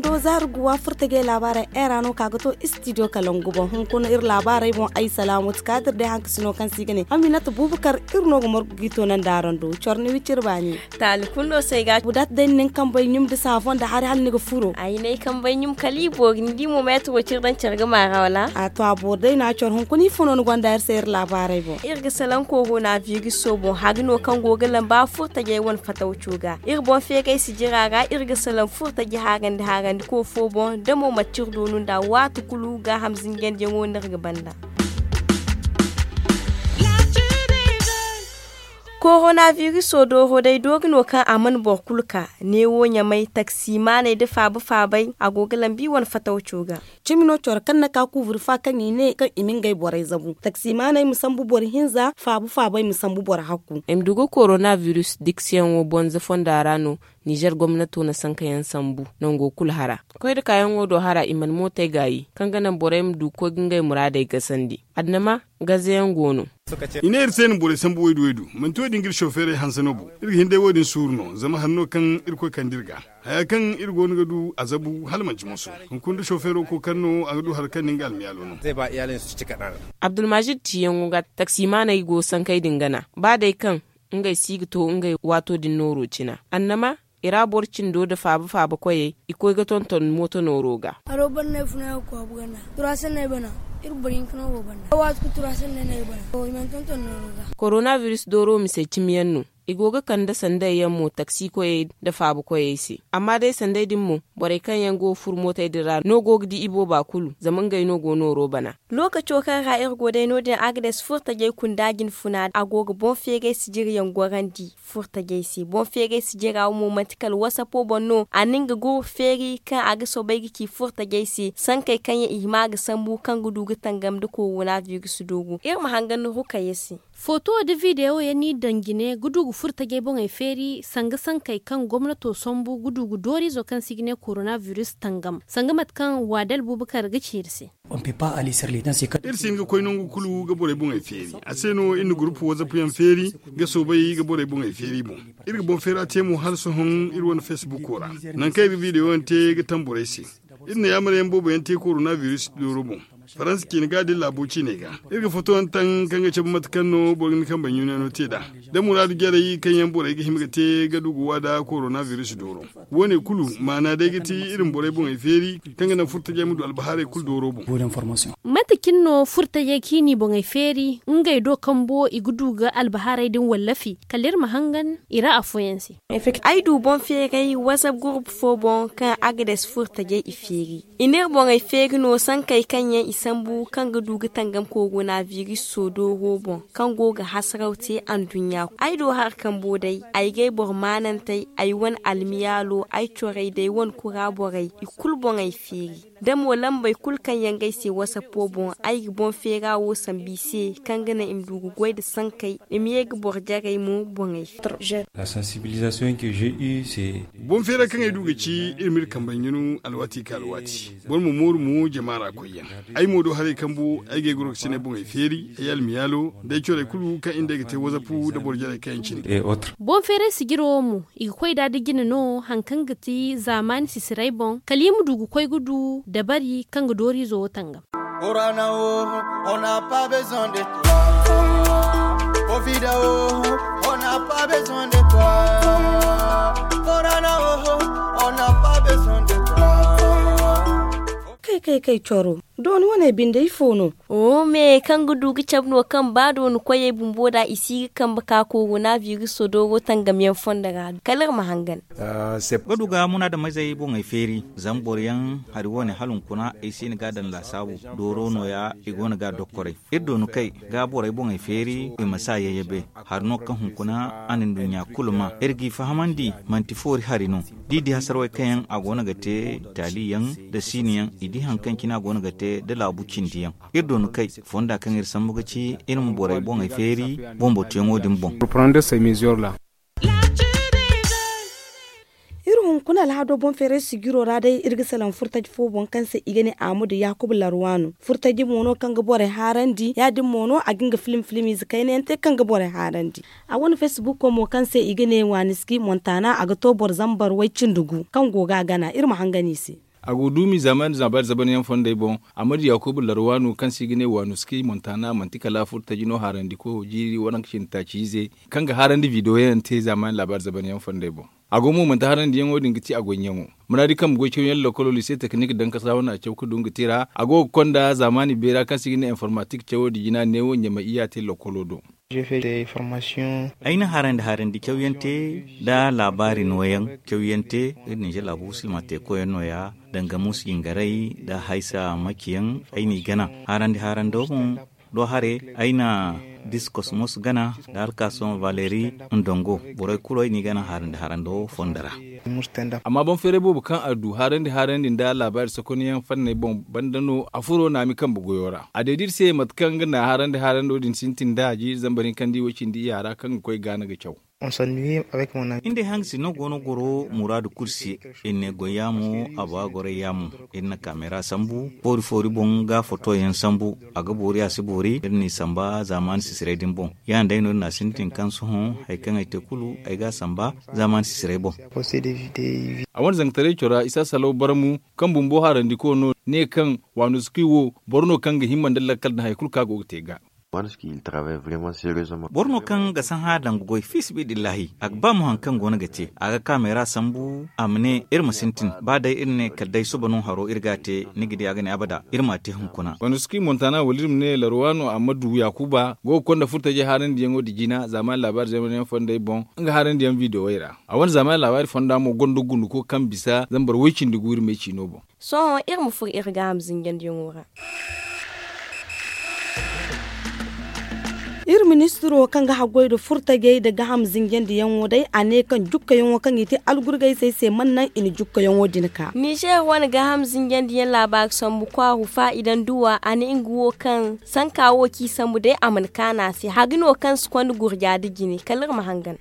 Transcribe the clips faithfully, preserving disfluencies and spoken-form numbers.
Do zaari guwa furtajey laabaarey era no ka ga to istidiyo kalangu boŋ hunkuna iri laabaarey boŋ ay salaamu ti kaadir day hankasino kaŋ se i ga ne aminata buubakar. Iri no ga margu g'i to naŋ da araŋ do coro ni wiciri baani. Taali kulu no se ay ga. Budat day ni na ni kambey ɲum da saafoŋ da hari hala ni ga furo. Ay ne ay kambey ɲum kala i boori ni di mo meetiro ciri daŋ care ga maara wala? A to a boori day no a coro hunkuna ifo no ni gonda iri se iri laabaarey boŋ? Iri ga salaŋ koorona biriso boŋ hari no kaŋ go ga lamba furtajey wane fatawco ga iri boŋ feegay sijira ra iri ga salaŋ furtaje haarandi haarandi koofo boŋ da mo manti iri doonu nd'a waati kulu gaaham zinjandiyaŋo no iri ga banda. Koronabiriso dooro day doori no kaŋ a mana boro kulu ka neewo ɲamay taksimaaney nda faaba faabay a go ga lambi wane fatawco ga. Cimi no coro kaŋ na ka kuuburi fa kaŋ i ne kaŋ i ma ngey borey zabu taksimaaney ma sambu boro hinza faaba faabay ma sambu boro hakku. Ay ma du ga koronabiriso diksiyaŋo bonza fonda ra no. Nizer gomnato na sankayaŋ sambu nango kulu hara koy nda kaayaŋo do hara i mana mootey gaayi kaŋ ga naŋ borey ma du ga koy ga ngey muraadey gasandi. Adama gazayaŋ go no. I ne iri se na borey sambu waydu waydu manti wo- din ga iri sofeerey hanse no bo. Iri ga hin day wo- din suuru no zama hari no kaŋ irkoy kande iri ga haya kaŋ iri go no ga du a zabu hala manti moso. Hunkuna da sofeero kookari no a ga du hari kaŋ na nga almiyaalo no. Abdulmajid ciyaŋo ga taksimaaney go sankey din gana ba day kaŋ ngey si ga to ngey waato din nooro cina annama i ra boro cindo nda faaba faaba koyey i koy ga tonton mooto nooro ga. Haro banda no ay funa ay ga kwaabu ganda turaasanney bana. Iri boro hinka no go banda waati kulu turaasanney no ay bana i mana tonton nooro ga. Koronabiris dooro mise cimiyaŋ no i go ga kande sanday yaŋ mo taksi koyey nda faaba koyey se amma day sanday din mo borey kaŋ yaŋ go ga furo mootey din ra no go ga di ibooba kulu zama ngey no go nooro bana. Lookaco kaŋ ra iri go day no- din agades furtajey kunda jinfuna a go ga boŋ feeray sijiryaŋ gorandi furtajey se boŋ feeray sijira wo mo manti kala wasapo boŋ no a na nga gurbu feeri kaŋ a ga soobay ga ci furtajey se sankey kaŋ yaŋ i hima ga sambu kaŋ ga du ga tangam nda korona biris dooro iri ma hangan ni rukayey se. Foto nda videwo yaŋ no i daŋ jine ga du ga furtajey boŋey feeri sanga sankey kaŋ gomnato sambu ga du ga dooriizo kaŋ se i ga ne korona biris tangam sanga mate kaŋ waadal buubakar ga ci iri se. Iri si hin ga koy nangu kulu ga borey boŋey feeri a se no iri na gurupu wazap yaŋ feeri ga soobay ga borey boŋey feeri boŋ. Iri ga boŋ feera te mo hala sohõ iri wane fesbuko ra nangu kaŋ iri ga videwo yaŋ te ga tamborey se. Iri na yaamar yaŋ boobo yaŋ te korona biris dooro boŋ faransa ciine ga da iri laabo ciiney ga. Iri ga foto yaŋ taŋ kaŋ ga cabe mate kaŋ no boro ga ni kambe ɲunayaŋo te nd'a da muraadu jarey kaŋ yaŋ borey ga hima ga te ga du ga wa nda korona biris dooro. Wo- ne kulu maana day ga ti iri ma borey boŋey feeri kaŋ ga naŋ furtajey ma du albahaarey kulu dooro boŋ. Mate cine no furtajey kaŋ i n'i boŋey feeri ngey do kambo i ga du ga albahaarey din wallafi kala iri ma hangan i ra afooyaŋ se. Ay du boŋ feeray wazap gurupu fo boŋ kaŋ agades furtajey i feeri i n'iri boŋey feeri no sankey kaŋ yaŋ i sambu kaŋ ga du ga tangam korona biris sodooro boŋ kaŋ go ga hasaraw te anduɲɲa. Ay do hari kambo day ay gay boro maanantey ay wane almiyaalo ay corey da ay wane kura borey i kulu boŋey feeri da mo lambey kulu kaŋ yaŋ ga ay se wasapo boŋ ay ga boŋ feera wo sambu i se kaŋ ga naŋ i ma du ga goy nda sankey i ma ye ga boro jarey mo boŋey. Boŋ feera kaŋ ay du ga ci iri ma iri kambey ɲunu alwaati ka alwaati boro ma mooru mo jama ra koyyaŋ. Ay mo do haray kambu ay ga ay gorokasiney boŋey feeri ay almiyaalo da ay corey kulu kaŋ iri nda ay ga te wazapu nda boro jarey kaŋ yaŋ cindi. Boŋ feeray sijiro wo mo i ga koy nd'a da jine no hari kaŋ ga ti zaamaani sisiray boŋ kala i ma du ga koy ga du dabari kaŋ ga dooriizo wo tangam. Kay kay kay coro dooni wane binde ifo no? Oo me kaŋ ga du ga cabe no kaŋ ba dooni koyey bumbo da i si ga kambe ka korona biriso dooro tangam yaŋ fondo ra kala iri ma hangan. Ga du ga munaadamizey boŋey feeri zama boro yaŋ hari wane hala hunkuna ay si ni ga a daŋ laasaabu dooro nooya i go no ga a dokkoray. Iri dooni kay ga borey boŋey feeri i ma si a yayyabe. Hari no kaŋ hunkuna a na nduɲɲa kulu ma iri g'i fahamandi manti foori hari no. Da i di hasarwey kaŋ yaŋ a go no ga te taali yaŋ nda siini yaŋ i di hari kaŋ cine a go no ga te nda laabu cindi yaŋ. Iri dooni kay fonda kaŋ iri sambu ga ci iri ma borey boŋey feeri boŋ batuyaŋo din boŋ. Iri hun Kuna alhado boŋ feeray sijiro ra day iri ga salaŋ furtaji fo boŋ kaŋ se i ga ne, amudu yaakuba larwaano furtaji mo no kaŋ ga borey haarandi ya- din mo no a ga nga filim filim ize kayna yaŋ te kaŋ ga borey haarandi. A wane facebook mo kaŋ se i ga ne waaniski montana a ga to boro zambar way cindi gu kaŋ go ga a gana iri ma hangan i se. A go duumi zamani zambar zaban yaŋ fondey boŋ. Amudu yaakuba larwaano kaŋ se i ga ne waaniski montana manti kala furtaji no haarandi koyo jiiri waranka cindi taaci ize kaŋ ga haarandi video yaŋ te zamani laabaari zaban yaŋ fondey boŋ. A go mo manti harandiyaŋo din ga ti a goyyaŋo. Muraadi kambe goy cawyaŋ lokolo lise teknik dankasa wane a caw ga du nga te ra a go ga konda zaamaani beera kaŋ se i ga ne informatik cawo da jina neewo ɲamay iyya te lokolo do. Ay na harandi harandi cawyaŋ te nda laabaari nooyaŋ cawyaŋ te. Iri ninzeer laabu silma teekoyaŋ nooya danga muusu jingaray nda haysa maciyaŋ. Ay n'i gana harandi harando boŋ do hare ay na diskos mos gana nda alkason valeri ndongo borey kulu ay n'i gana harandi harando fondo ra. Amma boŋ feeray boobo kaŋ a du harandi harandi nda laabaari sokonyaŋ fanney boŋ banda no a furo naami kambe goyo ra a deedi iri se mate kaŋ nga na harandi harando din sintin nd'a jiiri zambar hinkandi way cindi iyya ra kaŋ ga koy gaana ga caw. Iri nda ay hangasino go no goro muraadu kulu se. Iri ne goy yaamo a ba goray yaamo. Iri na kameera sambu foori foori boŋ ga fotoyaŋ sambu. A ga boori a si boori iri n'i samba zaamaani sisiray din boŋ. Ya- din day no iri na a sintin kaŋ sohõ hari kaŋ ay te kulu ay ga a samba zaamaani sisiray boŋ. A wane zangataray cora isa salaw barmu kaŋ bumbo harandiko no ne kaŋ waano si kuy wo boro no kaŋ ga himma nda lakkal nda hari kulu kaŋ a go ga te ga. Boro no kaŋ ga sahã danga goy fiisabilillahi a ga ba mo hari kaŋ go no ga te a ga kaamera sambu a ma ne iri ma sintin ba day iri ne kala day suba no haro iri ga a te ni ga di a ga ne abada iri m'a te hunkuna. Wanda suka i montana wala iri ma ne larwa no amma du yaakuba go ga konda furtajey haarandiyaŋo nda jina zaamaani laabaari zaymanyaŋ fondey boŋ nga haarandiyaŋ biidewey ra. A wane zaamaani laabaari fonda mo gonda gunduko kaŋ bisa zambar woy-cindi-gu iri me ciino boŋ. Sohõ iri ma furo iri gaaham zinjandiyaŋo ra. Iri ministiro kaŋ ga haggoy nda furtajey nda gaaham zinjandiyaŋo day a ne kaŋ jukkayaŋo kaŋ i te algurgayzey se mana naŋ i na jukkayaŋo din ka. Nizeer wane gaaham zinjandiyaŋ laabaari sambu kwaaru faa'idanduwa a ne nga wo kaŋ sanka wo kaŋ i sambu day a mana kaanu a se hari no kaŋ si konda gurja nda jine kala iri ma hangan.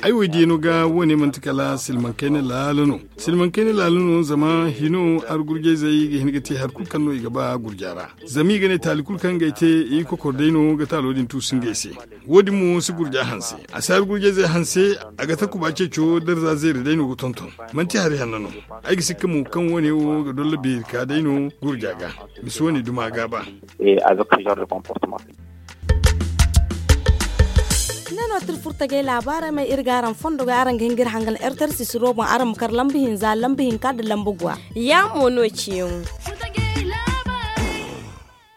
Ay wo diya no ga wo- ne manti kala silmaŋ kayna laala no. Silmaŋ kayna laala no zama hino argurjayzey ga hin ga te hari kulu kaŋ no i ga ba gurja ra. Zama i ga ne taali kulu kaŋ ga ay te i kokoro day no ga taalo din tuusu ngey se. Wo- din mo si gurja hanse a si argurjayzey hanse. A ga takuba ceeco darza zeeri day no ga tonton. Manti hari hanno no. Ay ga sikka mo kaŋ wo- ne wo ga dolla beeri ka day no gurja ga. Misi wo- ne duma ga ba. Nga no tira furtajey laabaarey ma iri ga araŋ fondo ga araŋ ga hin ga iri hangan ertar sisiro boŋ araŋ ma kar lamba hinza lamba hinka nda lamba guwa. Ya mo no ciyaŋo.